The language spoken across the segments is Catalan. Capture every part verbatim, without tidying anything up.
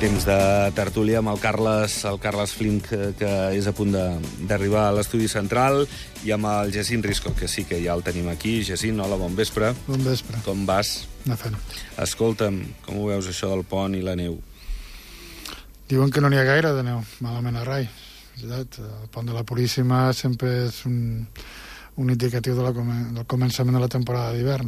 Temps de tertúlia amb el Carles, el Carles Flink, que, que és a punt d'arribar a l'estudi central, i amb el Jacint Risco, que sí que ja el tenim aquí. Jacint, hola, bon vespre. Bon vespre. Com vas? Anar fent. Escolta'm, com ho veus, això del pont i la neu? Diuen que no n'hi ha gaire de neu, malament a rai. El pont de la Puríssima sempre és un, un indicatiu de la, del començament de la temporada d'hivern.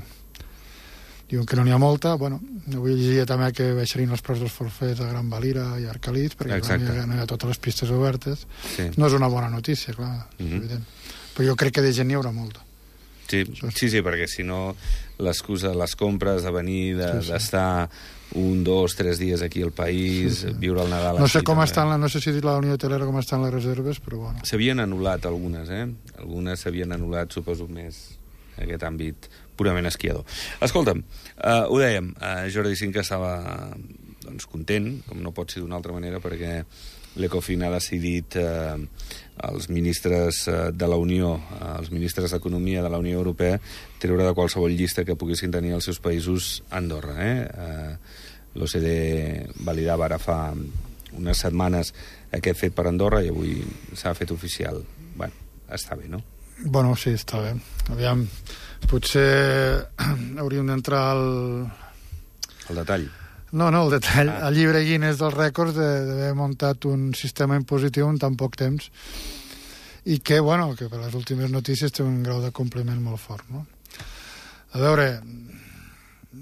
Diuen que no n'hi ha molta. Bueno, avui llegia també que baixarien els preus dels forfets a Gran Valira i a Arcalís, perquè clar, no, hi ha, no hi ha totes les pistes obertes. Sí. No és una bona notícia, clar, és mm-hmm. evident. Però jo crec que de gent n'hi haurà molta. Sí, sí, sí, perquè si no l'excusa de les compres, de venir, d'estar de, sí, sí. un, dos, tres dies aquí al país, sí, sí. viure el Nadal no sé aquí. Com estan, no sé si la Unió Hotelera com estan les reserves, però bueno. S'havien anul·lat algunes, eh? Algunes s'havien anul·lat, suposo, més aquest àmbit purament esquiador. Escolta'm, uh, ho dèiem, uh, Jordi Cinca estava doncs, content, com no pot ser d'una altra manera, perquè l'Ecofin ha decidit uh, els ministres uh, de la Unió, uh, els ministres d'Economia de la Unió Europea, treure de qualsevol llista que poguessin tenir els seus països Andorra. Eh? Uh, L'O C D validava ara fa unes setmanes aquest fet per Andorra i avui s'ha fet oficial. Bueno, està bé, no? Bueno, sí, està bé. Aviam, potser hauríem d'entrar al... El detall. No, no, el detall. Ah. El llibre Guinness dels rècords d'haver muntat un sistema impositiu en tan poc temps i que, bueno, que per les últimes notícies té un grau de compliment molt fort, no? A veure,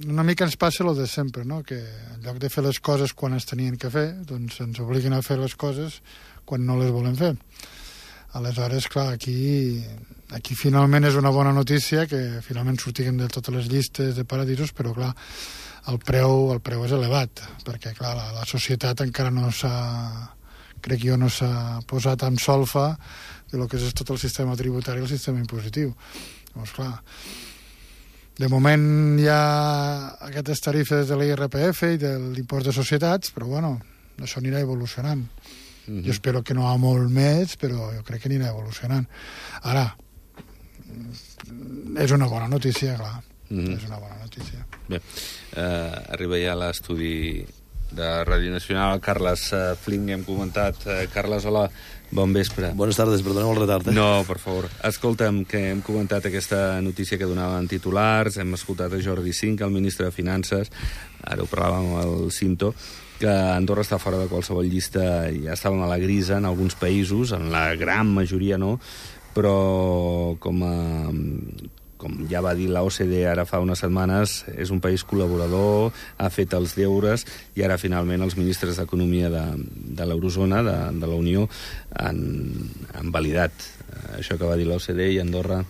una mica ens passa el de sempre, no? Que en lloc de fer les coses quan es tenien que fer, doncs ens obliguen a fer les coses quan no les volen fer. Aleshores, clar, aquí, aquí finalment és una bona notícia que finalment sortiguem de totes les llistes de paradisos, però clar, el preu, el preu és elevat, perquè clar, la, la societat encara no s'ha, crec jo, no s'ha posat en solfa de lo que és tot el sistema tributari i el sistema impositiu. Llavors, clar, de moment hi ha aquestes tarifes de l'I R P F i de l'impost de societats, però bueno, això anirà evolucionant. Mm-hmm. Jo espero que no a molt més, però jo crec que anirà evolucionant. Ara, és una bona notícia, clar. Mm-hmm. És una bona notícia. Bé, eh, arriba ja l'estudi de Ràdio Nacional. Carles eh, Flink, hem comentat. Eh, Carles, hola, bon vespre. Buenas tardes, perdoneu el retard. Eh? No, per favor. Escolta'm, que hem comentat aquesta notícia que donaven titulars, hem escoltat a Jordi Cinca, el ministre de Finances, ara ho parlàvem amb el Cinto, que Andorra està fora de qualsevol llista, ja estàvem a la grisa en alguns països, en la gran majoria no, però com, a, com ja va dir la O C D ara fa unes setmanes, és un país col·laborador, ha fet els deures, i ara finalment els ministres d'Economia de, de l'Eurozona, de, de la Unió, han, han validat això que va dir la O C D, i Andorra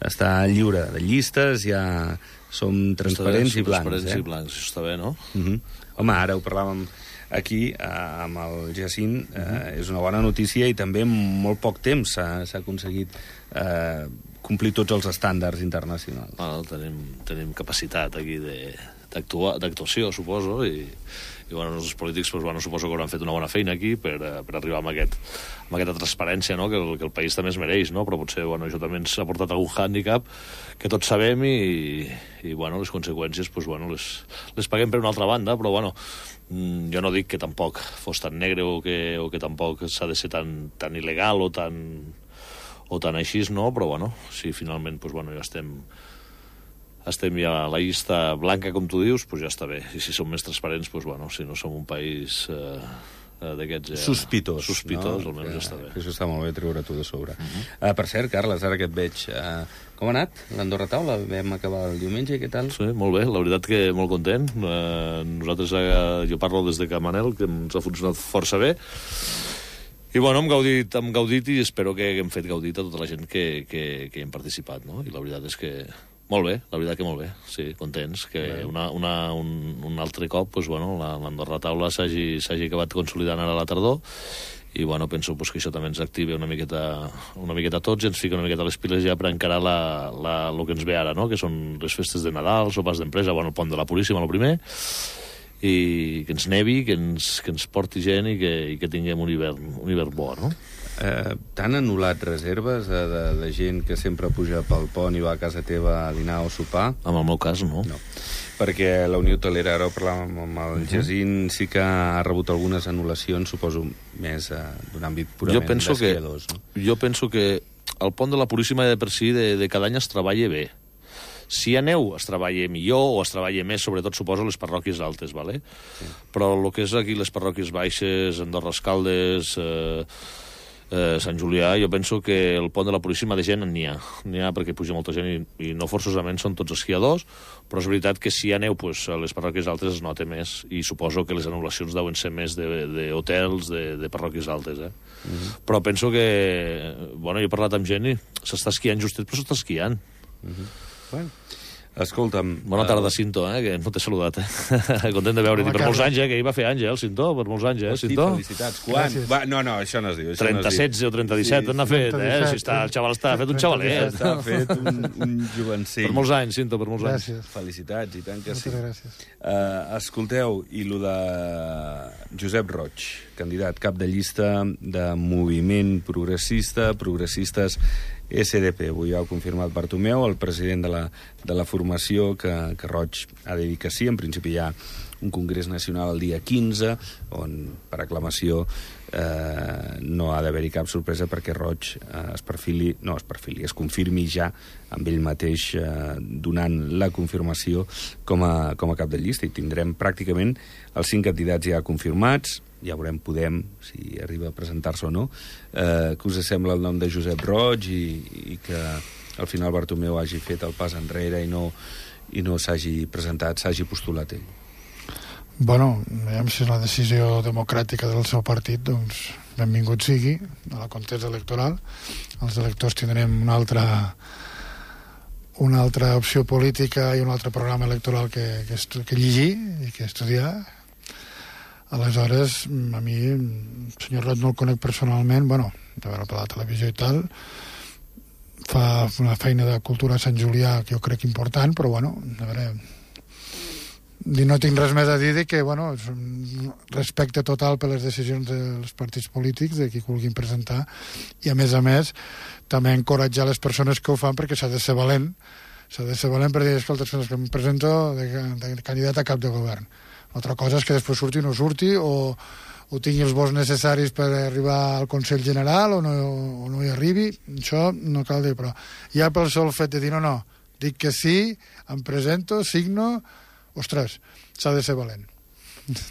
està lliure de llistes, ja som transparents bé, i blancs. Transparents eh? i blancs, això està bé, no? Uh-huh. Home, ara ho parlàvem aquí eh, amb el Jacint, eh, uh-huh. és una bona notícia, i també en molt poc temps s'ha aconseguit eh, complir tots els estàndards internacionals. Bueno, tenim, tenim capacitat aquí d'actuació, suposo, i, i bueno, els polítics pues, bueno, suposo que hauran fet una bona feina aquí per, per arribar amb, aquest, amb aquesta transparència, no? que, el, que el país també es mereix, no? Però potser bueno, això també ens ha portat algun hàndicap que tots sabem, i, i bueno, les conseqüències pues, bueno, les, les paguem per una altra banda, però bueno, jo no dic que tampoc fos tan negre o que, o que tampoc s'ha de ser tan, tan il·legal o tan, o tan així, no? Però bueno, si finalment pues, bueno, ja estem estem ja a la llista blanca, com tu dius, pues ja està bé. I si som més transparents, pues bueno, si no som un país eh, d'aquests... Eh, sospitós. Sospitós, no? almenys que, ja està bé. Això està molt bé, treure-t'ho de sobre. Uh-huh. uh, per cert, Carles, ara que et veig, uh, com ha anat l'Andorra Taula? Vam acabar el diumenge, què tal? Sí, molt bé, la veritat que molt content. Uh, nosaltres, uh, jo parlo des de Camanel, que ens ha funcionat força bé. I bueno, hem gaudit, hem gaudit i espero que hem fet gaudit a tota la gent que, que, que hi hem participat, no? I la veritat és que molt bé, la veritat que molt bé, sí, contents, que una, una, un, un altre cop, pues, bueno, l'Andorra Taula s'hagi acabat consolidant ara a la tardor, i bueno, penso pues, que això també ens activa una miqueta, una miqueta a tots i ens fica una miqueta a les piles ja per encarar la, la, el que ens ve ara, no? Que són les festes de Nadal, sopars d'empresa, bueno, el pont de la Puríssima, el primer, i que ens nevi, que ens, que ens porti gent i que, i que tinguem un hivern, un hivern bo, no? Eh, T'han anul·lat reserves de, de, de gent que sempre puja pel pont i va a casa teva a dinar o sopar? En el meu cas, no. No. Perquè la Unió Hotelera, ara ho parlàvem amb el uh-huh. Jacint, sí que ha rebut algunes anul·lacions, suposo, més eh, d'un àmbit purament d'esquiadors. No? Jo penso que el pont de la Puríssima de per si de, de cada any es treballa bé. Si hi ha neu, es treballa millor o es treballa més, sobretot, suposo, les parròquies altes, ¿vale? Sí. Però el que és aquí les parròquies baixes, Andorra Escaldes, eh, eh, Sant Julià, jo penso que el pont de la Puríssima de gent n'hi ha. N'hi ha perquè puja molta gent i, i no forçosament són tots esquiadors, però és veritat que si hi ha neu, pues, a les parròquies altes es nota més i suposo que les anul·lacions deuen ser més d'hotels, de, de, de parròquies altes, eh? Mm-hmm. Però penso que... Bueno, jo he parlat amb gent i s'està esquiant justet, però s'està esquiant. Mm-hmm. Bueno, escolta'm... Bona tarda, Cinto, eh, que no t'he saludat, eh? Content de veure't. Per molts anys, eh, que hi va fer anys, eh, el Cinto, per molts anys, eh, Cinto? Hosti, felicitats. Quan? Va, no, no, això no es diu. trenta setze o trenta disset, sí, on ha fet, eh? Si està, el xaval està fet un xavalet. Està fet un, un jovencell. Per molts anys, Cinto, per molts gràcies. anys. Felicitats, i tant que sí. Moltes gràcies. Uh, escolteu, i lo de Josep Roig, candidat cap de llista de Moviment Progressista, Progressistes S D P. Avui ho ha confirmat Bartomeu, el president de la, de la formació, que, que Roig ha de dir que sí. En principi hi ha un congrés nacional el dia quinze, on per aclamació eh, no ha d'haver-hi cap sorpresa perquè Roig eh, es perfili, no es perfili, es confirmi ja amb ell mateix eh, donant la confirmació com a, com a cap de llista, i tindrem pràcticament els cinc candidats ja confirmats. Ja veurem, Podem, si arriba a presentar-se o no. Eh, que us sembla el nom de Josep Roig i, i que al final Bartomeu hagi fet el pas enrere i no, i no s'hagi presentat, s'hagi postulat ell? Bueno, veiem si és la decisió democràtica del seu partit, doncs benvingut sigui a la contesa electoral. Els electors tindrem una altra una altra opció política i un altre programa electoral que, que, que llegir i que estudiar. Aleshores, a mi, el senyor Roig no el conec personalment, bueno, de veure per la televisió i tal, fa una feina de cultura a Sant Julià que jo crec important, però bueno, a veure, no tinc res més a dir de que, bueno, és un respecte total per les decisions dels partits polítics, de qui vulguin presentar, i a més a més, també encoratjar les persones que ho fan perquè s'ha de ser valent, s'ha de ser valent per dir, escolta, que em presento de, de candidat a cap de govern. Altra cosa és que després surti o no surti, o, o tingui els vots necessaris per arribar al Consell General o no, o no hi arribi. Això no cal dir, però ja pel sol fet de dir no, no, dic que sí, em presento, signo, ostres, s'ha de ser valent.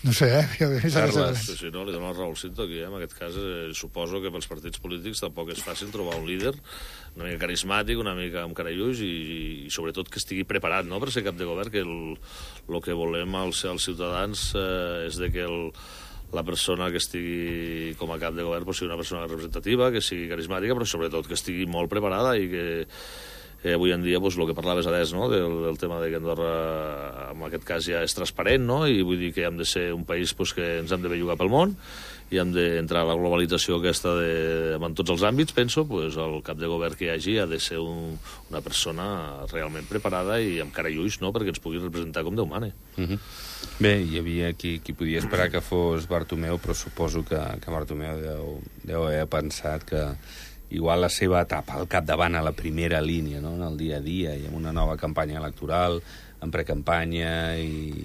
No sé, eh? Carles, sí, sí, no, li dono la raó al Cinto aquí, eh? En aquest cas eh, suposo que pels partits polítics tampoc és fàcil trobar un líder una mica carismàtic, una mica amb cara i ulls i, i sobretot que estigui preparat, no?, per ser cap de govern, que el, el que volem als, als ciutadans eh, és de que el, la persona que estigui com a cap de govern pues, sigui una persona representativa, que sigui carismàtica, però sobretot que estigui molt preparada i que Eh, avui en dia, pues, el que parlaves adés, no?, del, del tema de que Andorra, en aquest cas, ja és transparent, no?, i vull dir que hem de ser un país pues, que ens hem de bellugar pel món i hem d'entrar a la globalització aquesta de, en tots els àmbits, penso, pues, el cap de govern que hi hagi ha de ser un, una persona realment preparada i amb cara i ulls, no?, perquè ens pugui representar com Déu mane. Uh-huh. Bé, hi havia qui, qui podia esperar que fos Bartomeu, però suposo que, que Bartomeu deu, deu haver pensat que igual la seva etapa al capdavant a la primera línia, no?, en el dia a dia i amb una nova campanya electoral, en precampanya i,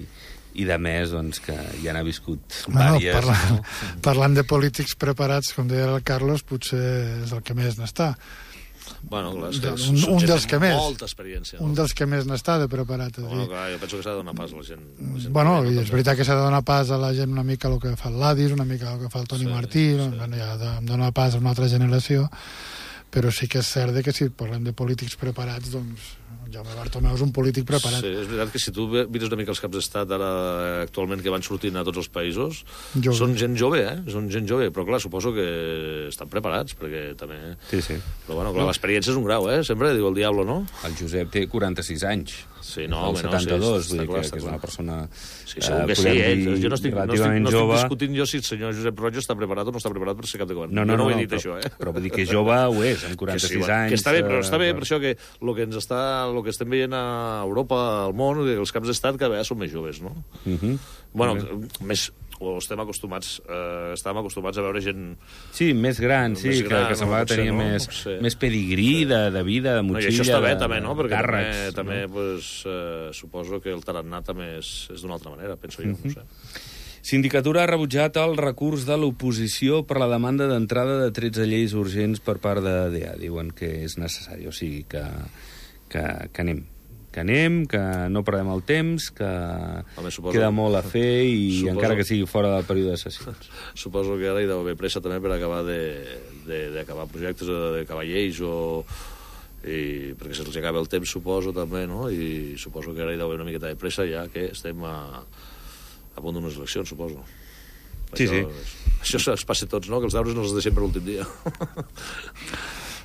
i de més, doncs, que ja n'ha viscut bueno, vàries. Parlant, no? parlant de polítics preparats, com deia el Carlos, potser és el que més n'està. Bueno, clar, és que un, un dels que més, molta experiència, no? Un dels que més n'està de preparat. Bueno, clar, jo penso que s'ha de donar pas a la gent. La gent bueno, i és veritat que s'ha de donar pas a la gent una mica el que fa el Ladis, una mica el que fa el Toni sí, Martí, sí. Bueno, ja de, donar pas a una altra generació, però sí que és cert que si parlem de polítics preparats, doncs Jaume Bartomeu és un polític preparat. Sí, és veritat que si tu mires una mica els caps d'estat ara actualment que van sortint a tots els països, jove. Són gent jove, eh? Són gent jove, però clar, suposo que estan preparats, perquè també... Sí, sí. Però bueno, clar, l'experiència és un grau, eh? Sempre diu el diablo, no? El Josep té quaranta-sis anys. Sí, no, el home, setanta-dos, no, sí, vull dir clar, que, que és una persona... Sí, segur que eh, sí, eh? Jo no estic, no, estic, no estic discutint jo si el senyor Josep Roig està preparat o no està preparat per ser cap de govern. No, no, jo no, no ho he dit, però, això, eh? Però vull dir que jove ho és, amb quaranta-sis que sí, anys... Que està bé, però està bé, eh, per això que el que ens està, el que estem veient a Europa, al món, els caps d'estat cada vegada són més joves, no? Uh-huh. Bueno, uh-huh. més... o estem acostumats, eh, estàvem acostumats a veure gent... Sí, més gran, sí, més gran, que, que semblava no, potser, tenir no? més, No sé. més pedigrí Sí. de, de vida, de No, motxilla, I això està bé, de, també, no? Perquè càrrecs, també, també no? pues, eh, suposo que el tarannà també és, és d'una altra manera, penso jo, Mhm. no sé. Sindicatura ha rebutjat el recurs de l'oposició per la demanda d'entrada de tretze lleis urgents per part de D E A. Diuen que és necessari, o sigui, que, que, que anem. Que anem, que no perdem el temps, que Home, suposo, queda molt a fer i suposo, encara que sigui fora del període de sessions. Suposo que ara hi deu haver pressa també per acabar d'acabar projectes, d'acabar lleis o... I, perquè se'ls acaba el temps, suposo, també, no? I suposo que ara hi deu haver una miqueta de pressa, ja que estem a, a punt d'unes eleccions, suposo. Sí, això, sí. Això es passa a tots, no? Que els deures no els deixem per l'últim dia.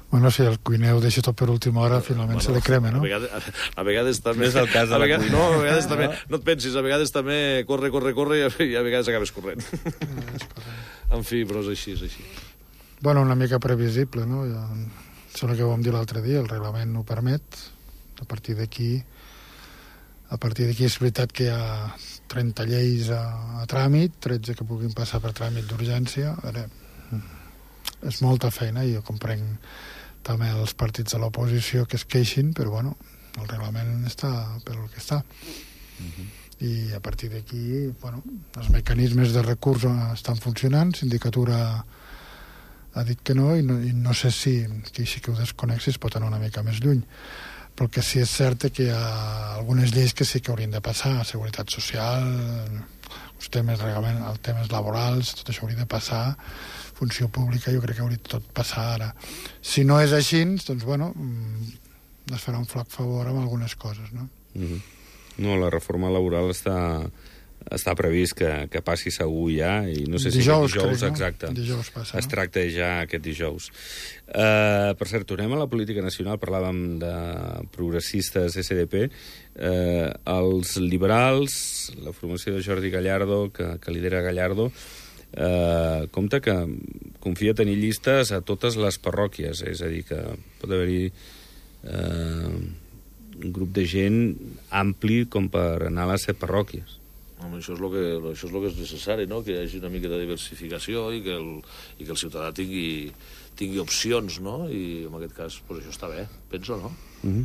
Bueno, si el cuiner ho deixa tot per última hora, finalment bueno, se li crema, no? A vegades, a, a vegades també... No és el cas de a la vegades, cuina. No, a vegades també... No et pensis, a vegades també corre, corre, corre i a, i a vegades acabes corrent. En fi, però és així, és així. Bueno, una mica previsible, no? Ja, sembla que ho vam dir l'altre dia, el reglament ho permet. A partir d'aquí... A partir d'aquí és veritat que hi ha trenta lleis a, a tràmit, tretze que puguin passar per tràmit d'urgència. A veure, és molta feina i jo comprenc també els partits de l'oposició que es queixin, però bueno, el reglament està per el que està. Uh-huh. I a partir d'aquí, bueno, els mecanismes de recurs estan funcionant, Sindicatura ha dit que no, i no, i no sé si, que sí que ho desconec, si es pot anar una mica més lluny. Però el que sí és cert que hi ha algunes lleis que sí que haurien de passar, seguretat social, els temes, realment, els temes laborals, tot això hauria de passar, funció pública, jo crec que hauria de tot passar ara. Si no és així, doncs, bueno, es farà un flac favor amb algunes coses, no? Mm-hmm. No, la reforma laboral està, està previst que, que passi segur ja, i no sé dijous, si aquest dijous, crec, no? exacte, dijous passa, es no? tracta ja aquest dijous. Uh, per cert, tornem a la política nacional, parlàvem de progressistes S D P, uh, els liberals, la formació de Jordi Gallardo, que, que lidera Gallardo, Uh, compte que confia tenir llistes a totes les parròquies, és a dir, que pot haver-hi uh, un grup de gent ampli com per anar a les set parròquies. Home, això és el que, això és el que és necessari, no? Que hi hagi una mica de diversificació i que el, i que el ciutadà tingui, tingui opcions, no? I en aquest cas, pues, això està bé, penso, no? Uh-huh.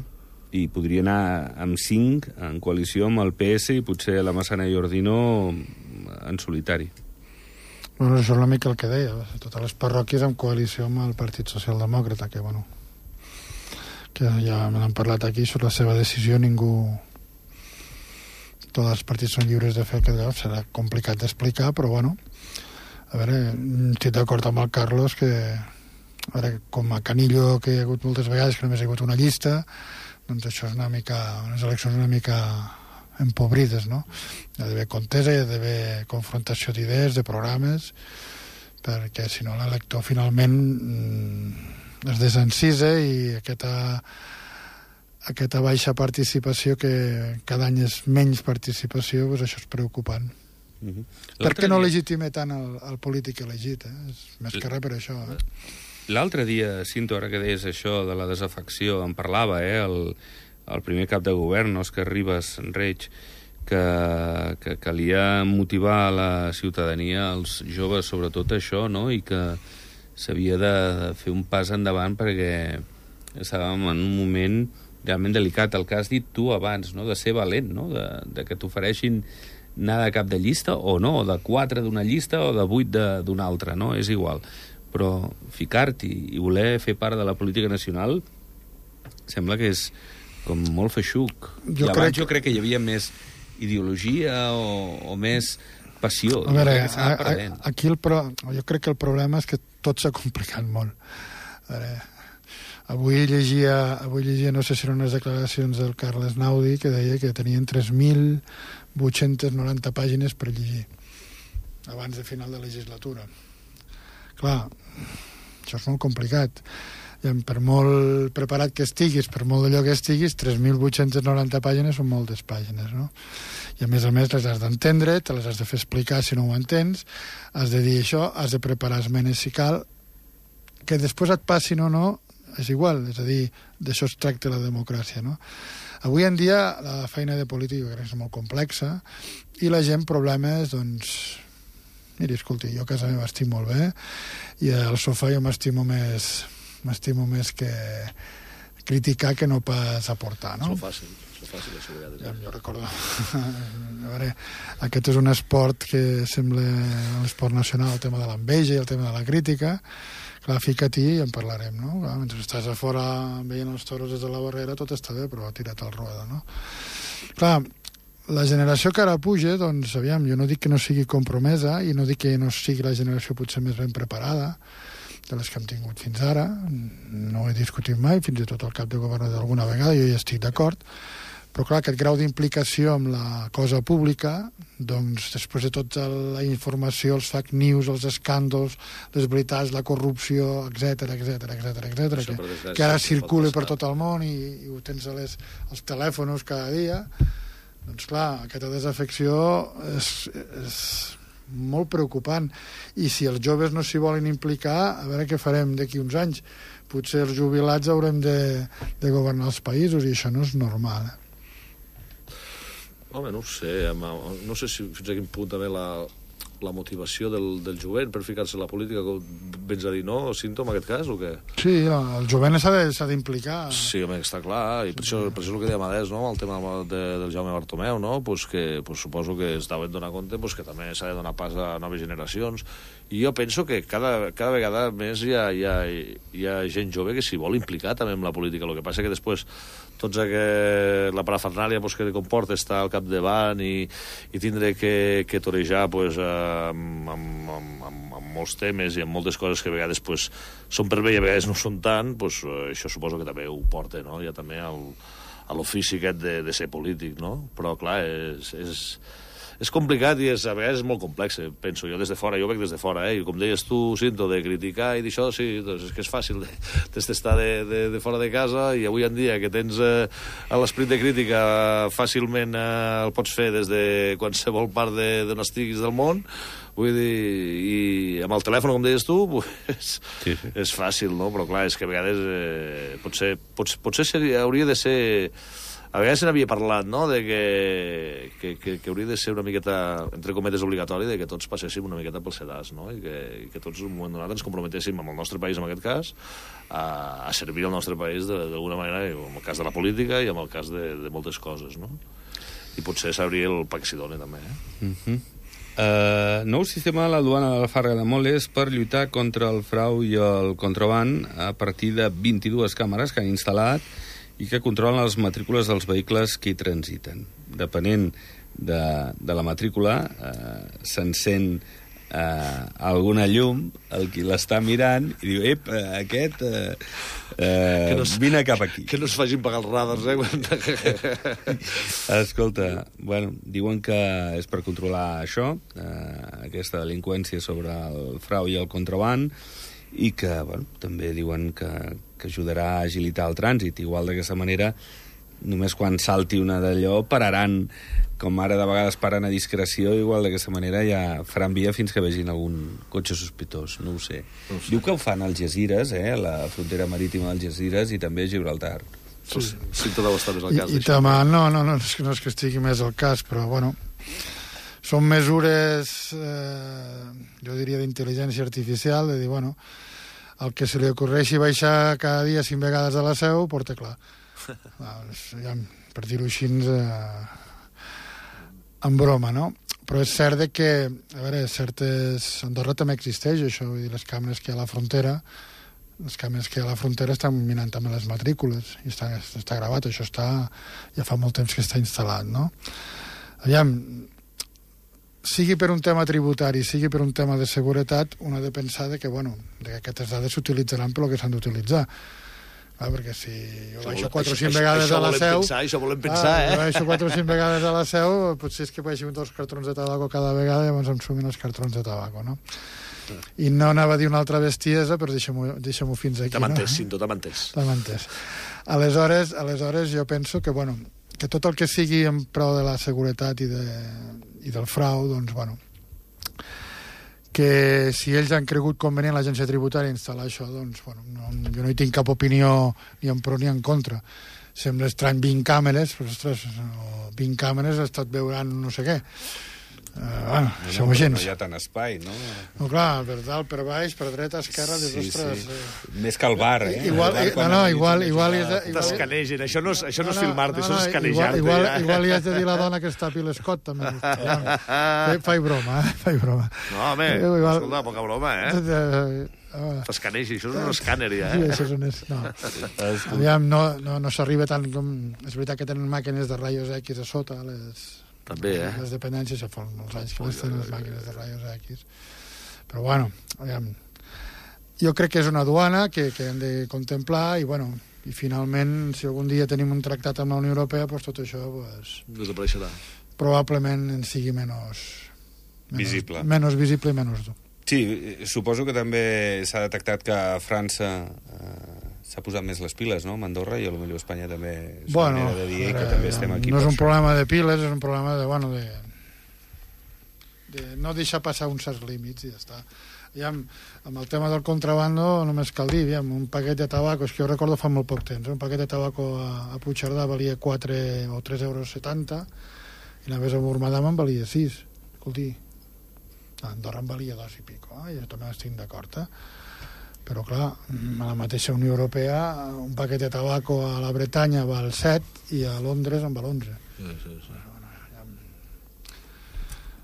I podria anar amb cinc en coalició amb el P S i potser la Massana i Ordino en solitari. Bueno, això és una mica el que deia, totes les parròquies en coalició amb el Partit Socialdemòcrata, que, bueno, que ja me n'han parlat aquí, sobre la seva decisió, ningú... Tots els partits són lliures de fer aquest grau, serà complicat d'explicar, però, bueno, a veure, estic d'acord amb el Carlos que, a veure, com a Canillo, que hi ha hagut moltes vegades que només hi ha hagut una llista, doncs això és una mica, unes eleccions una mica empobrides, no? Hi ha d'haver contesa, hi ha d'haver confrontació d'idees, de programes, perquè si no l'elector finalment mm, es desencisa i aquesta, aquesta baixa participació, que cada any és menys participació, doncs això és preocupant. Uh-huh. Per què no dia... legitima tant el, el polític elegit? Eh? És més que res per això. Eh? L'altre dia, Cinto, ara que deies això de la desafecció, en parlava, eh, el el primer cap de govern, Òscar Ribas Reig, que, que calia motivar la ciutadania, els joves, sobretot això, no? I que s'havia de fer un pas endavant perquè estàvem en un moment realment delicat. El que has dit tu abans, no? De ser valent, no? De, de que t'ofereixin anar de cap de llista o no, o de quatre d'una llista o de vuit d'una altra, no? És igual. Però ficar-t'hi i voler fer part de la política nacional sembla que és com molt feixuc. Jo I abans crec... jo crec que hi havia més ideologia o, o més passió. A veure, a, a, aquí el pro... jo crec que el problema és que tot s'ha complicat molt. A veure, avui llegia, avui llegia, no sé si eren unes declaracions del Carles Naudi, que deia que tenien tres mil vuit-centes noranta pàgines per llegir abans de final de legislatura. Clar, això és molt complicat. I per molt preparat que estiguis, per molt d'allò que estiguis, tres mil vuit-centes noranta pàgines són moltes pàgines, no? I a més a més les has d'entendre, te les has de fer explicar si no ho entens, has de dir això, has de preparar esmenes si cal, que després et passin o no, és igual, és a dir, d'això es tracta la democràcia, no? Avui en dia la feina de polític jo crec que és molt complexa i la gent problemes, doncs, miri, escolti, jo a casa meva estic molt bé i al sofà jo m'estimo més m'estimo més que criticar que no pas aportar, no? Això fàcil, això fàcil, això vegades. Ja, jo recordo... A veure, aquest és un esport que sembla un esport nacional, el tema de l'enveja i el tema de la crítica. Clar, fica-t'hi i en parlarem, no? Clar, mentre estàs a fora veient els toros des de la barrera, tot està bé, però tira't al rueda, no? Clar, la generació que ara puja, doncs, aviam, jo no dic que no sigui compromesa i no dic que no sigui la generació potser més ben preparada de les que hem tingut fins ara, no ho he discutit mai, fins i tot el cap de govern d'alguna vegada, jo hi estic d'acord, però clar, aquest grau d'implicació amb la cosa pública, doncs després de tota la informació, els fake news, els escàndols, les veritats, la corrupció, etc etc etc etc que, que ara circula per tot el món i, i ho tens a les, als telèfons cada dia, doncs clar, aquesta desafecció és, és molt preocupant. I si els joves no s'hi volen implicar, a veure què farem d'aquí uns anys. Potser els jubilats haurem de, de governar els països i això no és normal. Eh? Home, no ho sé. No sé si fins a quin punt també la, la motivació del, del jovent per ficar-se en la política, com vens a dir, no, Cinto, en aquest cas, o què? Sí, el jovent s'ha d'implicar. Sí, home, està clar, i per això, per això el que deia Amadès, no?, el tema de, del Jaume Bartomeu, no?, pues que pues suposo que es deuen donar compte pues que també s'ha de donar pas a noves generacions, i jo penso que cada, cada vegada més hi ha, hi, ha, hi ha gent jove que s'hi vol implicar també en la política. El que passa que després tots aquest, la parafernàlia pues, que comporta estar al capdavant i, i tindre que, que torejar pues, amb, amb, amb, amb, amb molts temes i amb moltes coses que a vegades pues, són per bé i a vegades no són tant, pues, això suposo que també ho porta, no?, ja també al, a l'ofici aquest de, de ser polític, no? Però clar, és, és, és complicat i és, a vegades és molt complex, penso jo des de fora, jo veig des de fora, eh? I com deies tu, Cinto, de criticar i d'això, sí, doncs és que és fàcil de, des d'estar de, de, de fora de casa, i avui en dia que tens eh, l'esperit de crítica fàcilment eh, el pots fer des de qualsevol part d'on estiguis del món, vull dir, i amb el telèfon, com deies tu, pues, sí, sí. És fàcil, no? Però clar, és que a vegades eh, potser, potser, potser seria, hauria de ser... A vegades se n'havia parlat, no?, de que, que, que, que hauria de ser una miqueta, entre cometes, obligatori, de que tots passéssim una miqueta pel sedàs, no?, i que, i que tots en un moment donat ens comprometéssim amb el nostre país, en aquest cas, a, a servir el nostre país d'alguna manera, en el cas de la política i en el cas de, de moltes coses, no? I potser s'hauria el pa que s'hi dona, també, eh? Mhm. Uh, nou sistema de la duana de la Farga de Moles per lluitar contra el frau i el contraban a partir de vint-i-dues càmeres que han instal·lat i que controlen les matrícules dels vehicles que hi transiten. Depenent de, de la matrícula, uh, s'encén uh, alguna llum, el qui l'està mirant, i diu, ep, uh, aquest, uh, uh, no vine cap aquí. Que no es facin pagar els radars, eh? Escolta, bueno, diuen que és per controlar això, uh, aquesta delinqüència sobre el frau i el contraban, i que, bueno, també diuen que, que ajudarà a agilitar el trànsit. Igual d'aquesta manera, només quan salti una d'allò pararan, com ara de vegades paren a discreció, igual d'aquesta manera ja faran via fins que vegin algun cotxe sospitós, no ho sé. No ho sé. Diu que ho fan als Algesires, eh, a la frontera marítima d'Algesires i també a Gibraltar. Sí, sí, sí, tot deu estar més al cas. I, i també, no, no, no, és que no és que estigui més al cas, però, bueno, són mesures, eh, jo diria, d'intel·ligència artificial, de dir, bueno, el que se li ocorreixi baixar cada dia cinc vegades a la Seu, porta clar. Ja, per dir-ho així, eh, en broma, no? Però és cert que, a veure, certes... Andorra també existeix, això, vull dir, les càmeres que hi ha a la frontera, les càmeres que hi ha a la frontera estan mirant també les matrícules, i està, està gravat, això està... ja fa molt temps que està instal·lat, no? Aviam, sigui per un tema tributari, sigui per un tema de seguretat, un ha de pensar de que, bueno, de que aquestes dades s'utilitzaran per el que s'han d'utilitzar. Ah, perquè si jo baixo quatre o cinc vegades a la Seu... Pensar, això volem pensar, ah, eh? Jo baixo quatre o cinc vegades a la Seu, potser és que baixin dos cartrons de tabaco cada vegada i llavors em sumin els cartrons de tabaco, no? I no anava a dir una altra bestiesa, però deixa-m'ho deixa fins aquí. T'hem entès, Cinto, t'hem entès. T'hem entès. Aleshores, aleshores jo penso que, bueno, que tot el que sigui en prou de la seguretat i, de, i del frau, doncs, bueno, que si ells han cregut convenient l'agència tributària instal·lar això, doncs, bueno, no, jo no hi tinc cap opinió ni en pro ni en contra. Sembla estrany vint càmeres, però, ostres, vint càmeres ha estat veurant no sé què. Uh, bueno, no, som no, gens. no hi ha tant espai, no? No, clar, per dalt, per baix, per dreta, esquerra, dius, Sí, ostres... sí. Eh. Més que el bar, eh? Igual, El bar, eh, quan no, no, a la nit igual, s'ha de igual... jugar- igual- T'escanegen, això no és, això no és filmar-te, això és igual, escanejar-te. igual, ja. igual li has de dir a la dona que es tapi l'escot, també. Fai, fai broma, eh? Fai broma. No, home, Eh, igual- escolta, poca broma, eh? Eh, T'escanegi, això és un escàner, ja, Sí, eh? això és un... es- No. Aviam, no, no, no s'arriba tant com... És veritat que tenen màquines de rayos X a sota, les... També, eh? Les dependències, ja fa molts anys que les tenen les màquines de rayos X. Però, bueno, aviam, jo crec que és una duana que, que hem de contemplar i, bueno, i finalment, si algun dia tenim un tractat amb la Unió Europea, doncs tot això pues, Desapareixerà. probablement en sigui menys... menys Visible. Menys visible i menys dur. Sí, suposo que també s'ha detectat que França eh, s'ha posat més les piles, no?, amb Andorra, i potser Espanya també és Bueno, una manera de dir ara, que també estem aquí. no és per un això. problema de piles, és un problema de, bueno, de, de no deixar passar uns certs límits i ja està. Aviam, amb el tema del contrabando només cal dir, aviam, un paquet de tabaco, és que jo recordo fa molt poc temps, eh? Un paquet de tabaco a, a Puigcerdà valia quatre o tres euros setanta i només a Murmadam en valia sis. Escolti, a Andorra en valia dos i pico, eh? Jo també estic d'acord, eh? Però clar, a la mateixa Unió Europea un paquet de tabaco a la Bretanya val set i a Londres en val onze. Sí, sí, sí.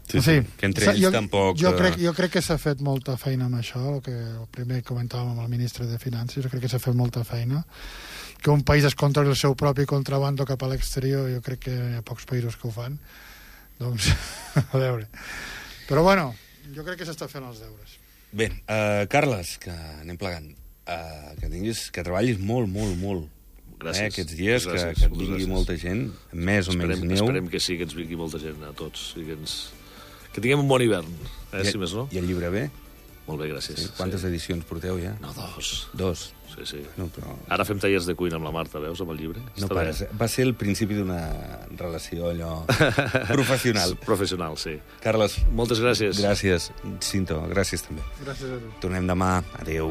Sí, sí, que entre ells jo, tampoc... Jo crec, jo crec que s'ha fet molta feina amb això, el que el primer comentàvem amb el ministre de Finances, jo crec que s'ha fet molta feina. Que un país es controli el seu propi contrabando cap a l'exterior, jo crec que hi ha pocs països que ho fan. Doncs, a veure. Però bueno, jo crec que s'està fent els deures. Bé, uh, Carles, que anem plegant, uh, que tinguis, que treballis molt, molt, molt. Gràcies. Eh, aquests dies, Gràcies. que, que et vingui Gràcies. molta gent, més o menys Esperem, neu. esperem que sí, que ens vingui molta gent a tots i que ens... Que tinguem un bon hivern, eh, I, si més no. I el llibre bé? Molt bé, gràcies. Sí. Quantes sí. edicions porteu ja? No, dos. Dos. Sí, sí. No, però... Ara fem tallers de cuina amb la Marta, veus, amb el llibre? No Està pares. bé. Va ser el principi d'una relació allò professional. Professional, sí. Carles, Moltes gràcies. gràcies. Cinto, gràcies també. Gràcies a tu. Tornem demà. Adéu.